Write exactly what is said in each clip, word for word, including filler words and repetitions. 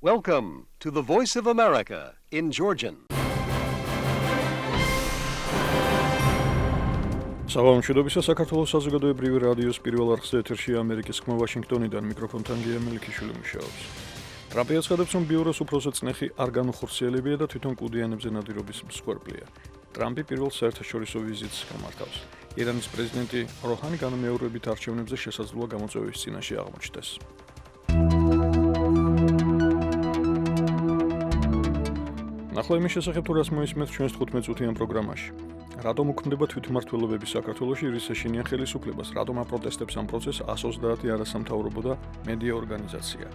Welcome to the Voice of America in Georgian. საღამოშიდობისა საქართველოს საზოგადოებრივი რადიოს პირველ არხზე ეთერშია ამერიკის ხმა ვაშინგტონიდან მიკროფონთან გია მელიქიშვილი მუშაობს. ტრამპი აცხადებს, რომ ბიუროს უფროსო წნეხი არ განუხორციელებია და თვითონ კუდიანებზე ნადირობის მსხვერპლია. ტრამპი პირველ საერთაშორისო ვიზიტს გამართავს. ირანის პრეზიდენტი როჰანი განმეორებით არჩევნებზე შესაძლოა გამოწვევის წინაშე აღმოჩნდეს. ნახლა იმის შესახებ, თუ რას მოისმენთ ჩვენს თხუთმეტ წუთიან პროგრამაში. რატომ უქმდება თვითმმართველობები საქართველოში რის ეშინიან ხელისუფლებას? რატომ აპროტესტებს ამ პროცესს ას ოცდაათი არასამთავრობო და მედია ორგანიზაცია?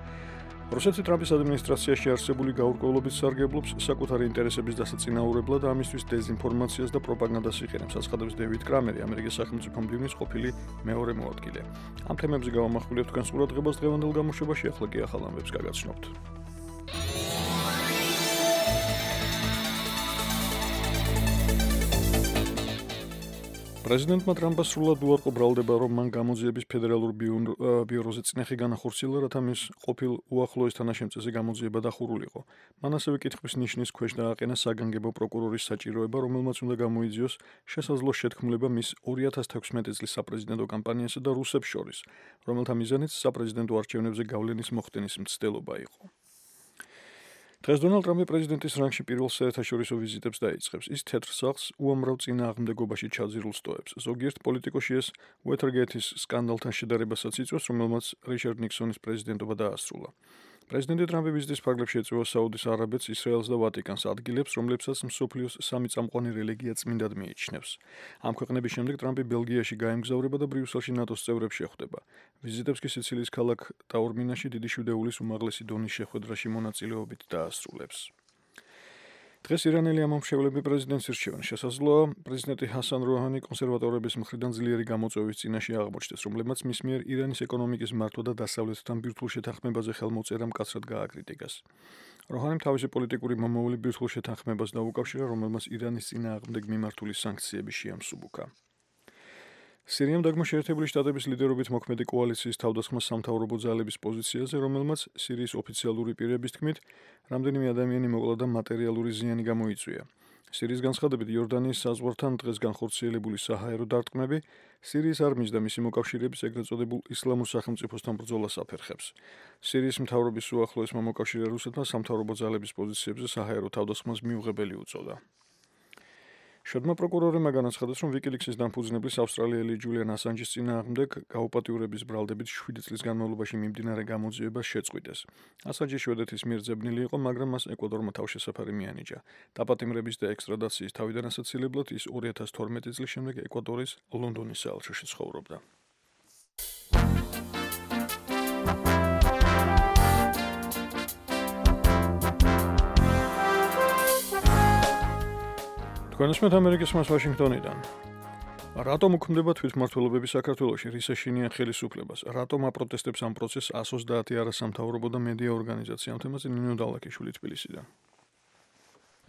რუსეთის ტრამპის ადმინისტრაციაში არსებული გაურკვევლობის სარგებლობს საკუთარი ინტერესების დასაწინაურებლად და ამისთვის დეზინფორმაციას და პროპაგანდას იყენებს, აცხადებს დევიდ კრამერი, ამერიკის სახელმწიფო მდივნის ყოფილი მეორე მოადგილე. ამ თემებზე გავამახვილებთ თქვენს ყურადღებას დღევანდელ გამოშვებაში, ახლა კი ახალ ამბებს გაგაცნობთ. პრეზიდენტმა ტრამპმა სრულად უარყო ბრალდება, რომ მან გამოძიების ფედერალურ ბიუროზე წნეხი განახორციელა, რათა მის ყოფილ უახლოეს თანაშემწეზე გამოძიება დახურულიყო. მან ასევე კითხვის ნიშნის ქვეშ დააყენა საგანგებო პროკურორის საჭიროება, რომელმაც უნდა გამოიძიოს შესაძლო შეთქმულება მის ორი ათას თექვსმეტი წლის საპრეზიდენტო კამპანიასა და რუსებს შორის, რომელთა მიზანიც საპრეზიდენტო არჩევნებზე გავლენის მოხდენის მცდელობა იყო. დღეს დონალდ ტრამპი პრეზიდენტის რანგში პირველ საერთაშორისო ვიზიტებს დაიწყებს. ის თეთრ სახლს უამრავ წინააღმდეგობაში ჩაძირულს ტოვებს. ზოგიერთ პოლიტიკოში ეს უეთერგეითის სკანდალთან შედარებასაც იწვევს, რომელმაც რიჩარდ ნიქსონის პრეზიდენტობა დაასრულა. პრეზიდენტი ტრამპი ვიზიტის ფარგლებში ეწევა საუდის არაბეთს, ისრაელს და ვატიკანს, ადგილებს, რომლებსაც მსოფლიოს სამი წამყვანი რელიგია წმინდად მიიჩნევს. ამ ქვეყნების შემდეგ ტრამპი ბელგიაში გაემგზავრება და ბრიუსელში ნატოს წევრებს შეხვდება. ვიზიტებს კი სიცილიის ქალაქ ტაორმინაში დიდი შვიდეულის უმაღლესი დონის შეხვედრაში მონაწილეობით დაასრულებს. დღეს ირანელი ამომრჩევლები პრეზიდენტს ირჩევენ. შესაძლოა პრეზიდენტი ჰასან როჰანი კონსერვატორების მხრიდან ძლიერი გამოწვევის წინაშე აღმოჩნდეს, რომლებმაც მის მიერ ირანის ეკონომიკის მართვა და დასავლეთთან ბირთვულ შეთანხმებაზე ხელმოწერა მკაცრად გააკრიტიკეს. როჰანიმ თავისი პოლიტიკური მომავალი ბირთვულ შეთანხმებას დაუკავშირა, რომელმაც ირანის წინააღმდეგ მიმართული სანქციები შეამსუბუქა. სირიამ დაგმო შეერთებული შტატების ლიდერობით მოქმედი კოალიციის თავდასხმა სამთავრობო ძალების პოზიციაზე, რომელმაც სირიის ოფიციალური პირების თქმით, რამდენიმე ადამიანი მოკლა და მატერიალური ზიანი გამოიწვია. სირიის განცხადებით, იორდანიის საზღვართან დღეს განხორციელებული საჰაერო დარტყმები სირიის არმიის და მისი მოკავშირეების ეგრეთ წოდებულ ისლამურ სახელმწიფოსთან ბრძოლას აფერხებს. სირიის მთავრობის უახლოესმა მოკავშირე რუსეთმა სამთავრობო ძალების პოზიციებზე საჰაერო თავდასხმას მიუღებელი უწოდა. შედმა პროკურორებმა განაცხადეს, რომ ვიკილიქსის დამფუძნებლის ავსტრალიელი ჯულიან ასანჯის წინააღმდეგ გაუპატიურების ბრალდებით შვიდი წლის განმავლობაში მიმდინარე გამოძიებას შეწყვიტეს. ასანჯი შვედეთის მიერ ძებნილი იყო, მაგრამ მას ეკვადორმა თავშესაფარი მიანიჭა. დაპატიმრების და ექსტრადაციის თავიდან ასაცილებლად ის ორი ათას თორმეტი წლის შემდეგ ეკვადორის ლონდონის საელჩოში ცხოვრობდა. თქვენსმეთ ამერიკის ხმას ვაშინგტონიდან. რატომ უქმდება თვითმმართველობები საქართველოში? რის ეშინიან ხელისუფლებას? რატომ აპროტესტებს ამ პროცესს ას ოცდაათი არასამთავრობო და მედია ორგანიზაცია? ამ თემაზე ნინო დალაკიშვილი თბილისიდან.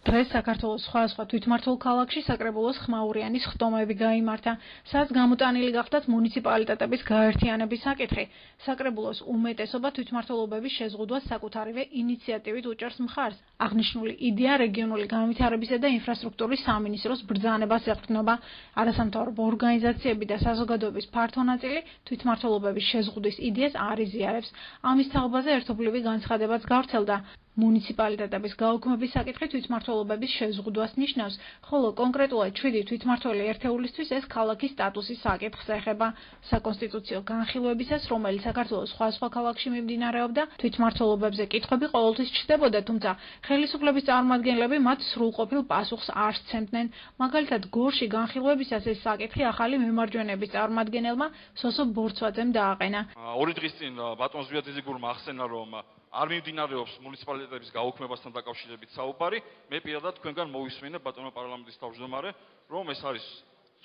დღეს საქართველოს სხვადასხვა თვითმმართველ ქალაქში საკრებულოს ხმაურიანის ხტომები გაიმართა, სადაც გამოტანილი გახდათ მუნიციპალიტეტების გაერთიანების საკითხი. საკრებულოს უმეტესობა თვითმმართველობების შეზღუდვას საკუთარივე ინიციატივით უჭერს მხარს. აღნიშნული იდეა რეგიონული განვითარებისა და ინფრასტრუქტურის სამინისტროს ბრძანებას ეყრდნობა. არასამთავრობო ორგანიზაციები და საზოგადოების ფართო ნაწილი თვითმმართველობების შეზღუდვის იდეას არ იზიარებს. ამის თაობაზე ერთობლივი განცხადებაც გავრცელდა. მუნიციპალიტეტების გაუქმების საკითხი თვითმმართველობების შეზღუდვას ნიშნავს, ხოლო კონკრეტულად შვიდი თვითმმართველი ერთეულისთვის ეს ქალაქის სტატუსის საკითხს ეხება. საკონსტიტუციო განხილვებისას, რომელიც საქართველოს სხვადასხვა ქალაქში მიმდინარეობდა, თვითმმართველობებზე კითხვები ყოველთვის ჩნდებოდა, თუმცა ხელისუფლების წარმომადგენლები მათ სრულყოფილ პასუხს არ სცემდნენ. მაგალითად, გორში განხილვებისას ეს საკითხი ახალი მემარჯვენეების წარმომადგენელმა სოსო ბორცვაძემ დააყენა. ორი დღის წინ ბატონ ზვიადიძეგურმა ახსენა, რომ არ მიმდინარეობს მუნიციპალიტეტების გაუქმებასთან დაკავშირებით საუბარი. მე პირადად თქვენგან მოვისმენე ბატონო პარლამენტის თავმჯდომარე, რომ ეს არის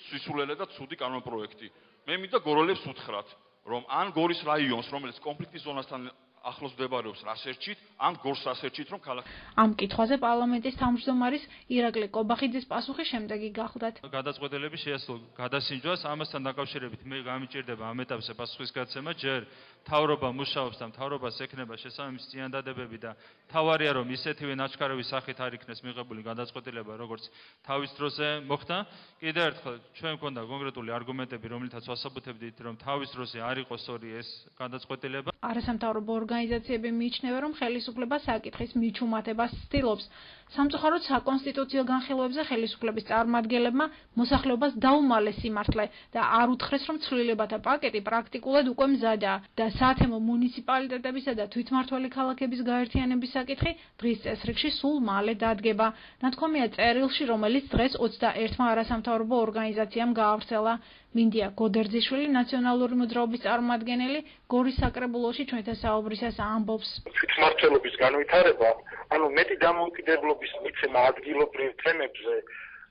სისულელე და ცუდი კანონპროექტი. მე მინდა გოროლებს უთხრათ, რომ ან გორის რაიონს, რომელიც კონფლიქტის ზონასთან ახლოს მდებარეობს რასერჩით, ან გორს რასერჩით, რომ ქალაქი. ამ კითხვაზე პარლამენტის თავმჯდომარის ირაკლი კობახიძის პასუხი შემდეგი გახლდათ. გადაწყვეტილების შეასრულო გადასინჯვას ამასთან დაკავშირებით მე გამიჭირდება ამ ეტაპზე პასუხისგაცემა, ჯერ მთავრობა მუშაობს და მთავრობას ექნება შესაბამისი წინადადებები და თავარია რომ ისეთივე ნაჩქარების სახით არ იქნეს მიღებული გადაწყვეტილება, როგორც თავის დროზე მოხდა. კიდევ ერთხელ ჩვენ მქონდა კონკრეტული არგუმენტები, რომლითაც ვასაბუთებდით, რომ თავის დროზე არ იყო სწორი ეს გადაწყვეტილება. არასამთავრობო ორგანიზაციები მიიჩნევენ, რომ ხელისუფლება საკითხის მიჩუმატებას ცდილობს. სამწუხაროდ საკონსტიტუციო განხილვებზე ხელისუფლების წარმომადგენლებმა მოსახლეობას დაუმალეს სიმართლე და არ უთხრეს, რომ ცვლილებათა პაკეტი პრაქტიკულად უკვე მზადაა და საათემო მუნიციპალიტეტებისა და თვითმმართველი ქალაქების გაერთიანების საკითხი დღის წესრიგში სულ მალე დადგება. ნათქვამია წერილში, რომელიც დღეს ოცდაერთმა არასამთავრობო ორგანიზაციამ გაავრცელა. მინდია გოდერძიშვილი, ნაციონალური მოძრაობის წარმომადგენელი, გორის საკრებულოში ჩვენთან საუბრისას ამბობს. თვითმმართველობის განვითარება, ანუ მეტი დამოუკიდებლობის მიცემა ადგილობრივ თემებზე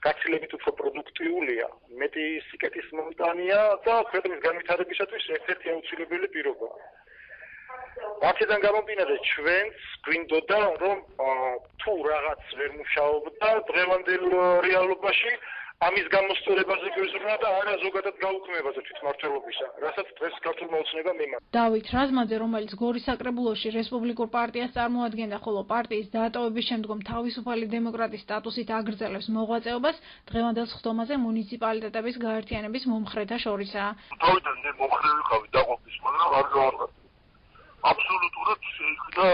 გაცილებით უფრო პროდუქტიულია, მეტი სიკეთის მომტანია და ქვეყნის განვითარებისათვის ერთ-ერთი აუცილებელი პირობაა. აქედან გამომდინარე, ჩვენს გვინდოდა, რომ თუ რაღაც ვერ მუშაობდა დღევანდელ რეალობაში, ამის გამოსწორებაზე გვეზრუნვა და არა ზოგადად გაუქმებაზე თვითმმართველობისა, რასაც დღეს ქართულმა ოცნება მიმართა. დავით რაზმაძე, რომელიც გორის საკრებულოში რესპუბლიკურ პარტიას წარმოადგენდა, ხოლო პარტიის დატოვების შემდგომ თავისუფალი დემოკრატის სტატუსით აგრძელებს მოღვაწეობას, დღევანდელ სხდომაზე მუნიციპალიტეტების გაერთიანების მომხრეთა შორისაა. თავიდან მე მომხრე ვიყავი დაყოფის, მაგრამ არ გავარკვევი. აბსოლუტურად შეიქმნა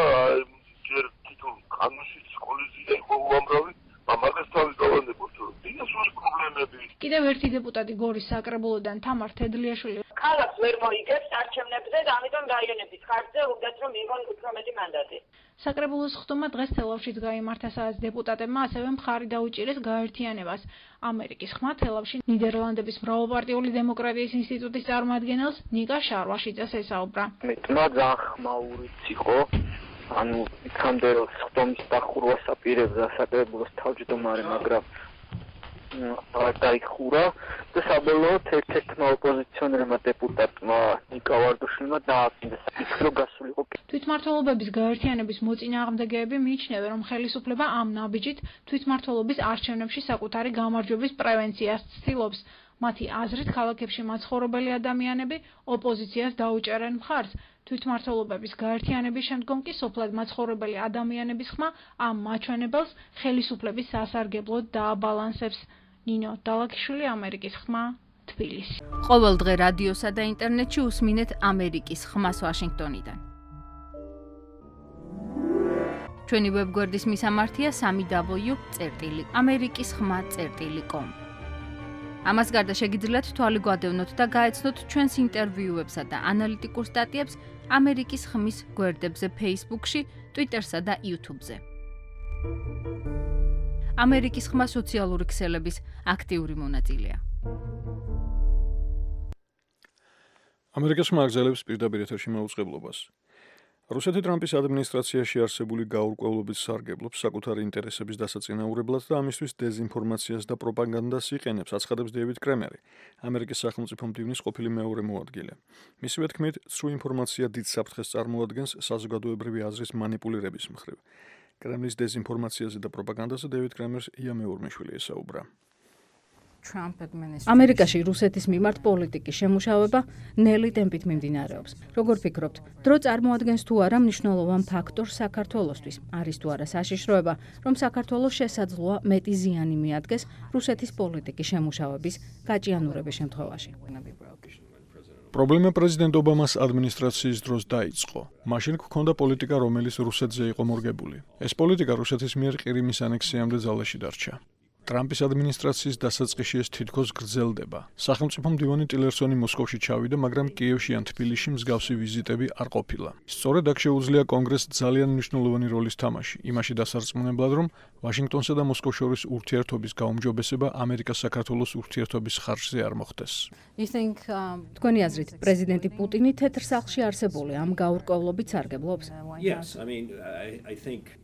ჯერ თვითონ კანონში სკოლის ძირა იყო უამრავი, ამას თავი გავანდებოთ, რომ დინასურის პრობლემები. კიდევ ერთი დეპუტატი გორის საკრებულოდან თამარ თედლიაშვილი ქალაქს ვერ მოიგებს არჩევნებზე და ამიტომ რაიონების ხარჯზე უნდათ რომ მიიღონ უფრო მეტი მანდატი. საკრებულოს სხდომა დღეს თელავშიც გაიმართა, სადაც დეპუტატებმა ასევე მხარი დაუჭირეს გაერთიანებას. ამერიკის ხმა თელავში ნიდერლანდების მრავალპარტიული დემოკრატიის ინსტიტუტის წარმომადგენელს ნიკა შარვაშიძეს ესაუბრა. მეტმა ძალიან ხმაურიც იყო. ანუ იქამდე რომ სხდომის დახურვას აპირებდა საკრებულოს თავმჯდომარე, მაგრამ არ დაიხურა და საბოლოოდ ერთ-ერთმა ოპოზიციონერმა დეპუტატმა ნიკა ვარდუშვილმა დააკინდა საკითხი, რომ გასულიყო. თვითმმართველობების გაერთიანების მოწინააღმდეგეები მიიჩნევენ, რომ ხელისუფლება ამ ნაბიჯით თვითმმართველობის არჩევნებში საკუთარი გამარჯვების პრევენციას ცდილობს. მათი აზრით, ქალაქებში მაცხოვრებელი ადამიანები ოპოზიციას დაუჭერენ მხარს. თვითმმართველობების გაერთიანების შემდგომ კი სოფლად მაცხოვრებელი ადამიანების ხმა ამ მაჩვენებელს ხელისუფლების სასარგებლოდ დააბალანსებს. ნინო დალაქიშვილი, ამერიკის ხმა, თბილისი. ყოველ დღე რადიოსა და ინტერნეტში უსმინეთ ამერიკის ხმას ვაშინგტონიდან. ჩვენი ვებგვერდის მისამართია სამი დაბლიუ წერტილი ამერიკის ხმა წერტილი კომ. ამას გარდა შეგიძლიათ თვალი გვადევნოთ და გაეცნოთ ჩვენს ინტერვიუებსა და ანალიტიკურ სტატიებს ამერიკის ხმის გვერდებზე Facebook-ში, Twitter-სა და YouTube-ზე. ამერიკის ხმა სოციალური ქსელების აქტიური მონაწილეა. ამერიკის ხმა აგზელებს პირდაპირ ეთერში მაუწყებლობას. რუსეთი ტრამპის ადმინისტრაციაში არსებული გაურკვევლობის სარგებლობს საკუთარი ინტერესების დასაწინაურებლად და ამისთვის დეზინფორმაციას და პროპაგანდას იყენებს, აცხადებს დეივიდ კრემერი, ამერიკის სახელმწიფო მდივნის ყოფილი მეორე მოადგილე. მისივე თქმით, ცრუ ინფორმაცია დიდ საფრთხეს წარმოადგენს საზოგადოებრივი აზრის მანიპულირების მხრივ. კრემლის დეზინფორმაციაზე და პროპაგანდაზე დეივიდ კრემერს ია მეურმეშვილი ესაუბრა. ამერიკაში რუსეთის მიმართ პოლიტიკის შემუშავება ნელი ტემპით მიმდინარეობს. როგორ ფიქრობთ, დრო წარმოადგენს თუ არა მნიშვნელოვან ფაქტორს საქართველოსთვის? არის თუ არა საშიშროება, რომ საქართველოს შესაძლოა მეტი ზიანი მიადგეს რუსეთის პოლიტიკის შემუშავების გაჭიანურების შემთხვევაში? პრობლემა პრეზიდენტ ობამას ადმინისტრაციის დროს დაიწყო. მაშინ გქონდა პოლიტიკა, რომელიც რუსეთზე იყო მორგებული. ეს პოლიტიკა რუსეთის მიერ ყირიმის ანექსიამდე ძალაში დარჩა. ტრამპის ადმინისტრაციის დასაწყისში ეს თითქოს გრძელდება. სახელმწიფო მდივანი ტილერსონი მოსკოვში ჩავიდა, მაგრამ კიევში ან თბილისში მსგავსი ვიზიტები არ ყოფილა. სწორედ აქ შეუძლია კონგრესს ძალიან მნიშვნელოვანი როლის თამაში, იმაში დასარწმუნებლად, რომ ვაშინგტონსა და მოსკოვს შორის ურთიერთობის გაუმჯობესება ამერიკა-საქართველოს ურთიერთობის ხარჯზე არ მოხდეს. თქვენი აზრით, პრეზიდენტი პუტინი თეთრ სახლში არსებული ამ გაურკვევლობით სარგებლობს? Yes, I mean, I, I think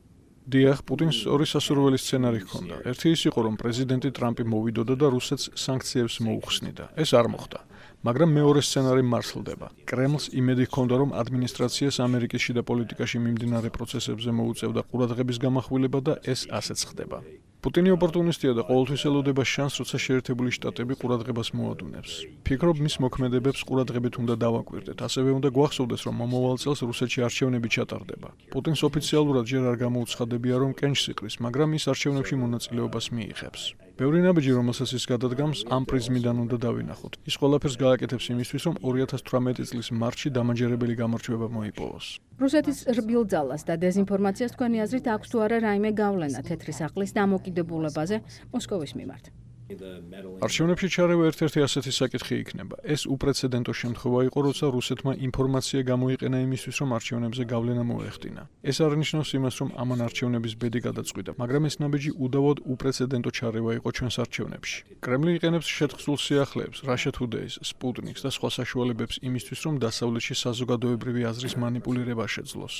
დიახ, პუტინს ორი სასურველი სცენარი ჰქონდა. ერთი ის იყო, რომ პრეზიდენტი ტრამპი მოვიდოდა და რუსეთს სანქციებს მოუხსნიდა. ეს არ მოხდა. მაგრამ მეორე სცენარი მარსლდება. კრემლს იმედი ჰქონდა, რომ ადმინისტრაციას ამერიკის შიდა პოლიტიკაში მიმდინარე პროცესებზე მოუწევდა ყურადღების გამახვილება და ეს ასეც ხდება. პუტინი ოპორტუნისტია და ყოველთვის ელოდება შანსს, როცა შეერთებული შტატები ყურადღებას მოადუნებს. ფიქრობ, მის მოქმედებებს ყურადღებით უნდა დავაკვირდეთ. ასევე უნდა გვახსოვდეს, რომ მომავალ წელს რუსეთში არჩევნები ჩატარდება. პუტინს ოფიციალურად ჯერ არ გამოუცხადებია, რომ კენჭს იყრის, მაგრამ ის არჩევნებში მონაწილეობას მიიღებს. ბევრი ნაბიჯი, რომელსაც ის გადადგამს, ამ პრიზმიდან უნდა დავინახოთ. ის ყველაფერს გააკეთებს იმისთვის, რომ ორი ათას თვრამეტი წლის მარტში დამაჯერებელი გამარჯვება მოიპოვოს. რუსეთის რბილ ძალას და დეზინფორმაციას თქვენი აზრით აქვს თუ არა რაიმე გავლენა თეთრი სახლის დამოკიდებულებაზე მოსკოვის მიმართ? არჩევნებში ჩარევა ერთ-ერთი ასეთი საკითხი იქნება. ეს უპრეცედენტო შემთხვევა იყო, როცა რუსეთმა ინფორმაცია გამოიყენა იმისთვის, რომ არჩევნებზე გავლენა მოეხდინა. ეს არნიშნავს იმას, რომ ამან არჩევნების ბედი გადაწყვიტა, მაგრამ ეს ნაბიჯი უდავოდ უპრეცედენტო ჩარევა იყო ჩვენს არჩევნებში. კრემლი იყენებს შეთხსულ სიახლეებს, Russia Today-ს, Sputnik-ს და სხვა საშუალებებს იმისთვის, რომ დასავლეთში საზოგადოებრივი აზრის მანიპულირება შეძლოს.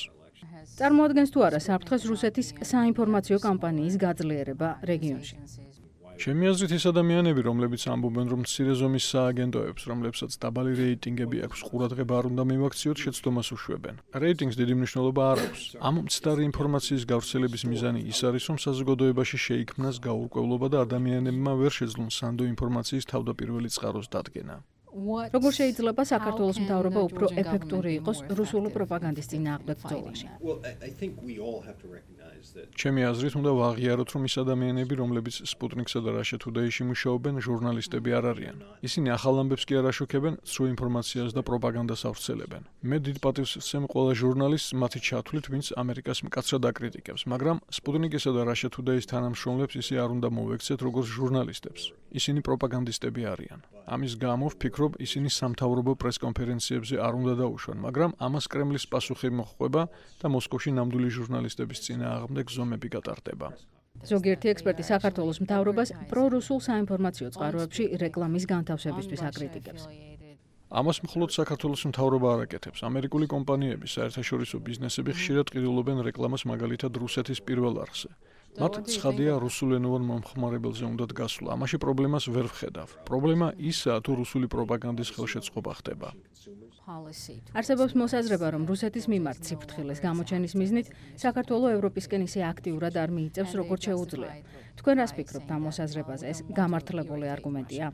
წარმოადგენს თუ არა საფრთხეს რუსეთის საინფორმაციო კამპანიის გაძლიერება რეგიონში? ჩემი აზრით ის ადამიანები, რომლებიც ამბობენ, რომ მცირე ზომის სააგენტოებს, რომლებსაც დაბალი რეიტინგები აქვს, ყურადღება არ უნდა მივაქციოთ, შეცდომას უშვებენ. რეიტინგს დიდი მნიშვნელობა არ აქვს. ამ მცდარი ინფორმაციის გავრცელების მიზანი ის არის, რომ საზოგადოებაში შეიქმნას გაურკვევლობა და ადამიანებმა ვერ შეძლონ სანდო ინფორმაციის თავდაპირველი წყაროს დადგენა. როგორ შეიძლება საქართველოს მთავრობა უფრო ეფექტური იყოს რუსული პროპაგანდის წინააღმდეგ ბრძოლაში? ჩემი აზრით უნდა ვაღიაროთ, რომ ის ადამიანები, რომლებიც Sputnik-სა და Russia Today-ში მუშაობენ, ჟურნალისტები არ არიან. ისინი ახალ ამბებს კი არ აშუქებენ, სრულ ინფორმაციას და პროპაგანდას ავრცელებენ. მე დიდ პატივს ვსცემ ყველა ჟურნალისტს მათი ჩათვლით, ვინც ამერიკას მკაცრად აკრიტიკებს, მაგრამ Sputnik-ისა და Russia Today-ის თანამშრომლებს ისე არ უნდა მოვექცეთ, როგორც ჟურნალისტებს. ისინი პროპაგანდისტები არიან. ამის გამო ვფიქრობ, ისინი სამთავრობო პრესკონფერენციებზე არ უნდა დაუშვან, მაგრამ ამას კრემლის პასუხი მოჰყვება და მოსკოვში ნამდვილი ჟურნალისტების წინააღმდეგ ზომები გატარდება. ზოგიერთი ექსპერტი საქართველოს მთავრობას პრორუსულ საინფორმაციო წყაროებში რეკლამის განთავსებისთვის აკრიტიკებს. ამას მხოლოდ საქართველოს მთავრობა არ აკეთებს. ამერიკული კომპანიები, საერთაშორისო ბიზნესები ხშირად ყიდულობენ რეკლამას მაგალითად რუსეთის პირველ არხზე. მათ ცხადია რუსულენოვან მომხმარებელზე უნდათ გასვლა. ამაში პრობლემას ვერ ვხედავ. პრობლემა ისაა, თუ რუსული პროპაგანდის ხელშეწყობა ხდება. არსებობს მოსაზრება, რომ რუსეთის მიმართ სიფრთხილეს გამოჩენის მიზნით საქართველოს ევროპისკენ ისე აქტიურად არ მიიწევს, როგორც შეუძლია. თქვენ რას ფიქრობთ ამ მოსაზრებაზე? ეს გამართლებული არგუმენტია?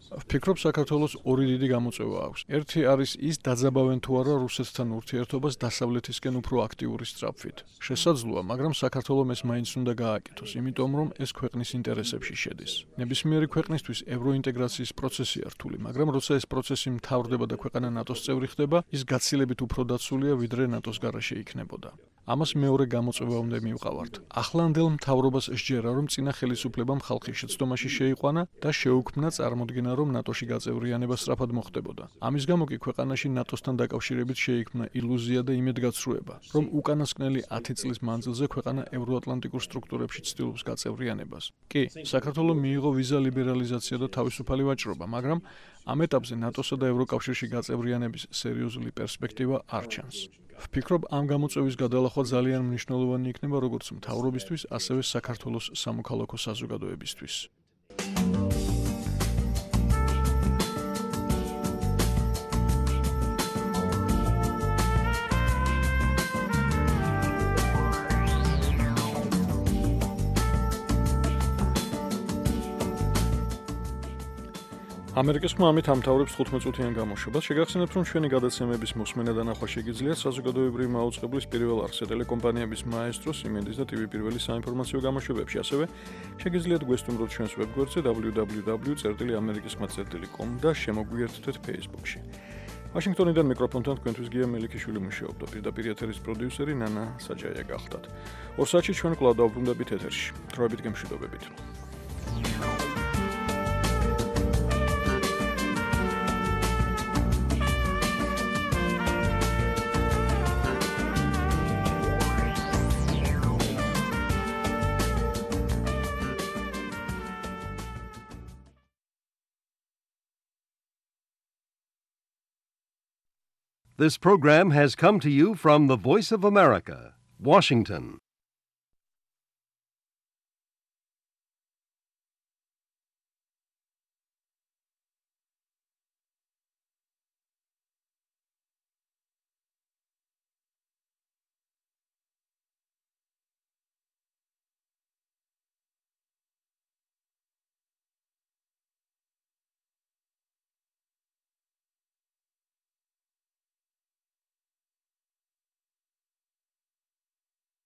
ვფიქრობ, საქართველოს ორი დიდი გამოწვევა აქვს. ერთი არის ის, დაძაბავენ თუ არა რუსეთთან ურთიერთობას დასავლეთისკენ უფრო აქტიური სწრაფვით. შესაძლოა, მაგრამ საქართველოს ეს მაინც უნდა გააკეთოს, იმიტომ რომ ეს ქვეყნის ინტერესებში შედის. ნებისმიერი ქვეყნისთვის ევროინტეგრაციის პროცესია რთული, მაგრამ როცა ეს პროცესი მთავრდება და ქვეყანა ნატოს წევრი ხდება, ის გაცილებით უფრო დაცულია, ვიდრე ნატოს გარეშე იქნებოდა. ამას მეორე გამოწვევა უნდა მივყავართ. ახლანდელ მთავრობას სჯერა, რომ წინა ხელისუფლებამ ხალხი შეცდომაში შეიყვანა და შეუქმნა წარმოდგენა, რომ ნატოში გაწევრიანება სწრაფად მოხდებოდა. ამის გამო კი ქვეყანაში ნატოსთან დაკავშირებით შეიქმნა ილუზია და იმედგაცრუება, რომ უკანასკნელი ათი წლის მანძილზე ქვეყანა ევროატლანტიკურ სტრუქტურებში ცდილობს გაწევრიანებას. კი, საქართველოს მიიღო ვიზა ლიბერალიზაცია და თავისუფალი ვაჭრობა, მაგრამ ამ ეტაპზე ნატოსა და ევროკავშირში გაწევრიანების სერიოზული პერსპექტივა არ ჩანს. ვფიქრობ, ამ გამოწვევის გადალახვა ძალიან მნიშვნელოვანი იქნება როგორც მთავრობისთვის, ასევე საქართველოს სამოქალაქო საზოგადოებისთვის. ამერიკის ხმა ამით ამთავრებს თხუთმეტ წუთიან გამოშვებას. შეგახსენებთ, რომ ჩვენი გადაცემების მოსმენა და ნახვა შეგიძლიათ საზოგადოებრივი მაუწყებლის პირველ არხზე, ტელეკომპანიების მაესტრო, სიმენდის და ტივი პირველი საინფორმაციო გამოშვებებში. ასევე შეგიძლიათ გვესტუმროთ ჩვენს ვებგვერდზე double-u double-u double-u წერტილი ამერიკის ხმა წერტილი com და შემოგვიერთდეთ Facebook-ში. ვაშინგტონიდან მიკროფონთან თქვენთვის გია მელიქიშვილი მუშაობდა. პირდაპირ ეთერის პროდიუსერი ნანა საჯაია გახდათ. ორ საათში ჩვენ კვლავ დავბრუნდებით ეთერში. დროებით გემშვიდობებით. This program has come to you from the Voice of America, Washington.